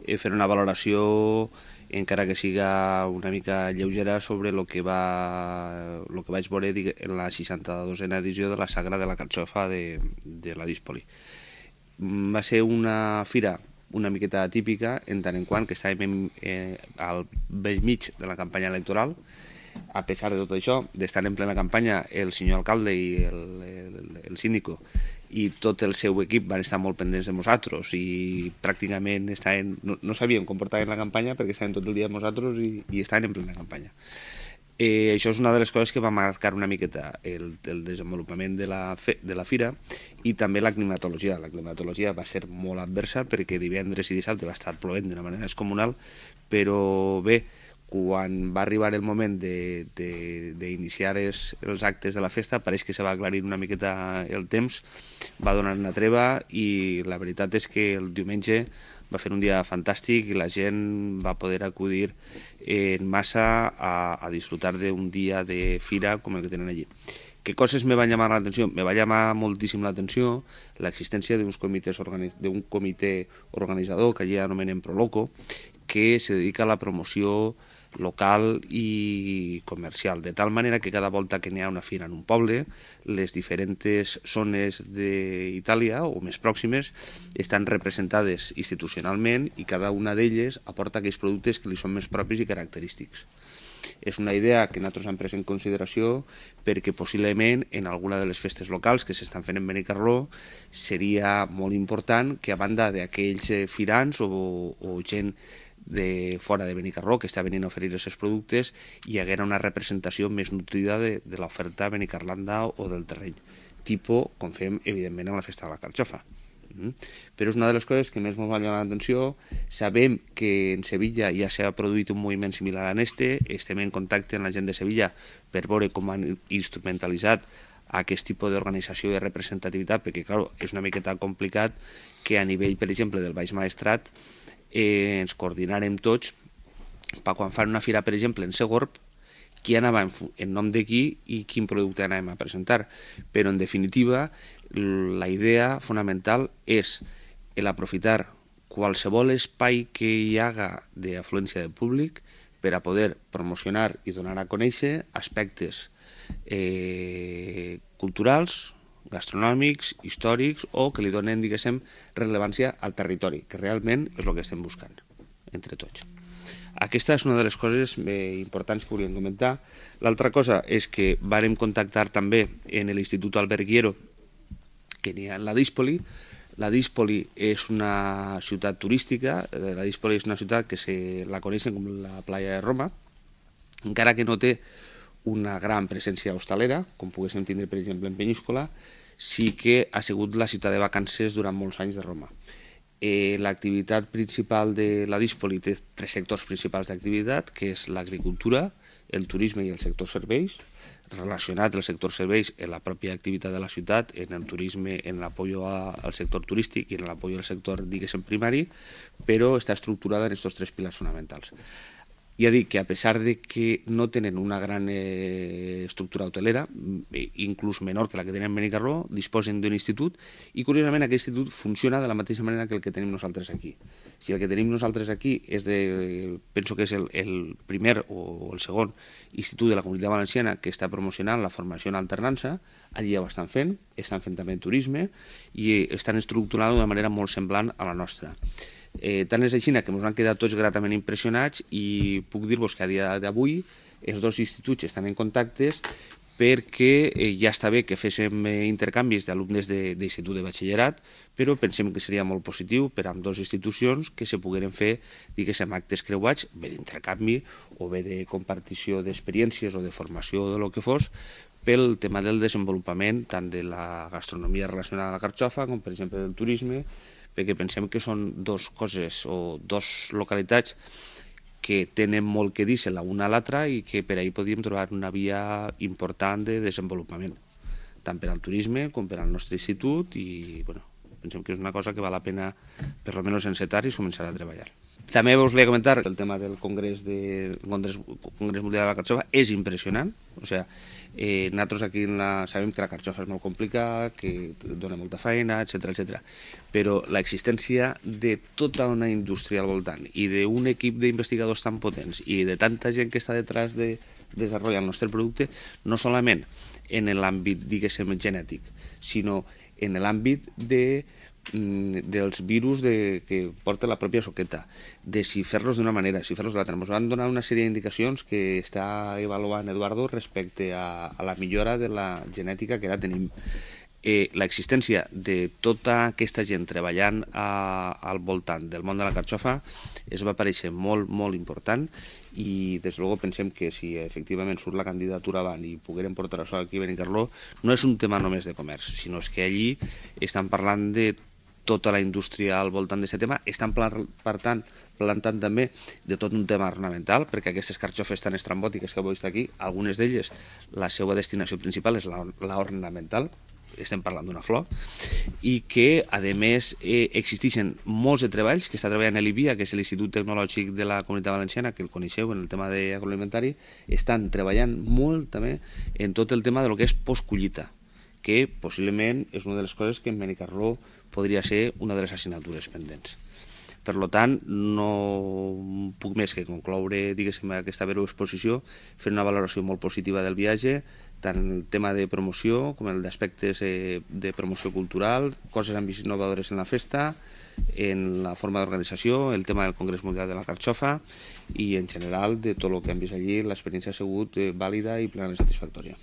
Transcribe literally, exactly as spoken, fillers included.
eh, fer una valoració, encara que siga una mica lleugera, sobre el que, va, lo que vaig veure en la seixanta-dosena edició de la Sagra de la Carxofa de, de la Díspoli. Va ser una fira una miqueta típica, en tant en quant que estàvem eh, al vell mig de la campanya electoral. A pesar de tot això, d'estar en plena campanya, el senyor alcalde i el, el, el síndico i tot el seu equip van estar molt pendents de nosaltres i pràcticament estaven, no, no sabíem com portaven la campanya perquè estaven tot el dia amb nosaltres i, i estaven en plena campanya. Eh, això és una de les coses que va marcar una miqueta el, el desenvolupament de la, fe, de la fira i també la climatologia. La climatologia va ser molt adversa perquè divendres i dissabte va estar plovent d'una manera descomunal, però bé, quan va arribar el moment d'iniciar els, els actes de la festa, pareix que se va aclarir una miqueta el temps, va donar una treva i la veritat és que el diumenge va fer un dia fantàstic i la gent va poder acudir en massa a, a disfrutar d'un dia de fira com el que tenen allí. Què coses me van llamar l'atenció? Me va llamar moltíssim l'atenció l'existència d'un comitè organitzador que allí anomenem Proloco, que se dedica a la promoció local i comercial, de tal manera que cada volta que n'hi ha una fira en un poble, les diferents zones d'Itàlia o més pròximes estan representades institucionalment i cada una d'elles aporta aquells productes que li són més propis i característics. És una idea que nosaltres hem pres en consideració perquè possiblement en alguna de les festes locals que s'estan fent en Benicarló seria molt important que a banda d'aquells firants o, o gent de fora de Benicarló que està venint a oferir els seus productes hi haguera una representació més nutrida de, de l'oferta benicarlanda o del terreny, tipus com fem evidentment en la festa de la Carxofa. Mm. Però és una de les coses que més m'ha llamar l'atenció. Sabem que en Sevilla ja s'ha produït un moviment similar a este, estem en contacte amb la gent de Sevilla per veure com han instrumentalitzat aquest tipus d'organització i de representativitat, perquè clar, és una miqueta complicat que a nivell, per exemple, del Baix Maestrat eh, ens coordinarem tots per quan fan una fira, per exemple, en Segorb, qui anava en, en nom de qui i quin producte anàvem a presentar. Però, en definitiva, la idea fonamental és l'aprofitar qualsevol espai que hi haga d'afluència de públic per a poder promocionar i donar a conèixer aspectes eh, culturals, gastronòmics, històrics o que li donen, diguéssim, rellevància al territori, que realment és el que estem buscant entre tots. Aquesta és una de les coses eh, importants que volíem comentar. L'altra cosa és que vàrem contactar també en l'Institut Alberghiero que n'hi ha en la Díspoli. La Díspoli és una ciutat turística, la Díspoli és una ciutat que se la coneixen com la playa de Roma, encara que no té una gran presència hostalera, com poguéssim tindre, per exemple, en Penyíscola, sí que ha sigut la ciutat de vacances durant molts anys de Roma. Eh, l'activitat principal de la Díspoli té tres sectors principals d'activitat, que és l'agricultura, el turisme i el sector serveis, relacionat el sector serveis en la pròpia activitat de la ciutat, en el turisme, en l'apoyo al sector turístic i en l'apoyo al sector, diguéssim, primari, però està estructurada en aquests tres pilars fonamentals. Ja dic que a pesar de que no tenen una gran eh, estructura hotelera, inclús menor que la que tenen en Benicarló, disposen d'un institut i curiosament aquest institut funciona de la mateixa manera que el que tenim nosaltres aquí. Si el que tenim nosaltres aquí és de, penso que és el, el primer o el segon institut de la Comunitat Valenciana que està promocionant la formació en alternança, allí ja ho estan fent, estan fent també turisme i estan estructurant d'una manera molt semblant a la nostra. Eh, tant és així que ens han quedat tots gratament impressionats i puc dir-vos que a dia d'avui els dos instituts estan en contactes perquè eh, ja està bé que féssim eh, intercanvis d'alumnes d'institut de, de batxillerat, però pensem que seria molt positiu per a dues institucions que se pogueren fer, diguéssim, actes creuats, bé d'intercanvi o bé de compartició d'experiències o de formació o de lo que fos, pel tema del desenvolupament tant de la gastronomia relacionada a la Carxofa com, per exemple, del turisme, perquè pensem que són dues coses o dues localitats que tenen molt que dir-se la una a l'altra i que per ahir podríem trobar una via important de desenvolupament, tant per al turisme com per al nostre institut i bueno, pensem que és una cosa que val la pena per almenys encetar i començar a treballar. També us volia comentar que el tema del Congrés, de, Congrés, Congrés Mundial de la Carxofa és impressionant. O sea, eh, nosaltres aquí en la, sabem que la carxofa és molt complicada, que dona molta feina, etcètera, etcètera. Però l'existència de tota una indústria al voltant i d'un equip d'investigadors tan potents i de tanta gent que està detrás de desenvolupar el nostre producte, no solament en l'àmbit, diguéssim, genètic, sinó en l'àmbit de dels virus de, que porta la pròpia soqueta, de si fer-los d'una manera, si fer-los de l'altra. Ens van donar una sèrie d'indicacions que està avaluant Eduardo respecte a, a la millora de la genètica que ara tenim. Eh, l'existència de tota aquesta gent treballant a, al voltant del món de la carxofa es va parèixer molt, molt important i des de luego pensem que si efectivament surt la candidatura avant i poguérem portar això aquí a Benicarló, no és un tema només de comerç, sinó que allí estan parlant de tota la indústria al voltant d'aquest tema, estan per tant plantant també de tot un tema ornamental, perquè aquestes carxofes tan estrambòtiques que heu vist aquí, algunes d'elles, la seva destinació principal és l'ornamental, estem parlant d'una flor, i que, a més, eh, existeixen molts de treballs que està treballant l'I B I A, que és l'Institut Tecnològic de la Comunitat Valenciana, que el coneixeu en el tema d'agroalimentari, estan treballant molt també en tot el tema de lo que és postcollita, que possiblement és una de les coses que en Benicarló podria ser una de les assignatures pendents. Per tant, no puc més que concloure, diguéssim, aquesta breu exposició, fer una valoració molt positiva del viatge, tant el tema de promoció com el d'aspectes de promoció cultural, coses innovadores en la festa, en la forma d'organització, el tema del Congrés Mundial de la Carxofa i en general de tot el que hem vist allí, l'experiència ha sigut vàlida i plenament satisfactòria.